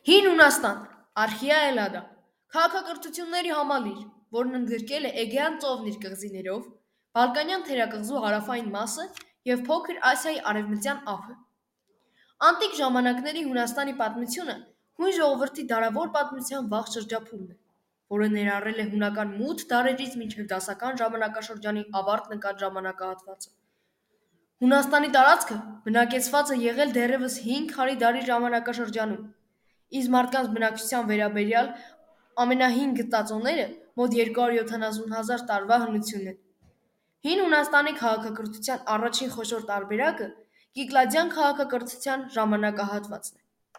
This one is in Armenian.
Հին Հունաստան, Արխիա Էլադա, քաղաքակրթությունների համալիր, որն ընդգրկել է Էգեան ծովն իր կղզիներով, Բալկանյան թերակղզու հարավային մասը և Փոքր Ասիայի արևմտյան ափը։ Անտիկ ժամանակների Հունաստանի պատմությունը հույն ժողովրդի դարավոր պատմության վաղ շրջափուլն է, որը ներառել է հունական մութ դարերից մինչև դասական ժամանակաշրջանի ավարտ նկատ ժամանակահատվածը։ Հունաստանի տարածքը բնակեցված է եղել դեռևս 5 քարի դարի ժամանակաշրջանում, իսկ մարդկանց բնակչության վերաբերյալ ամենահին գտածոները մոտ 270,000 տարվա հնություն են։ Հին Հունաստանի քաղաքակրթության առաջին խոշոր տարբերակը Կիկլադյան քաղաքակրթության ժամանակահատվածն է,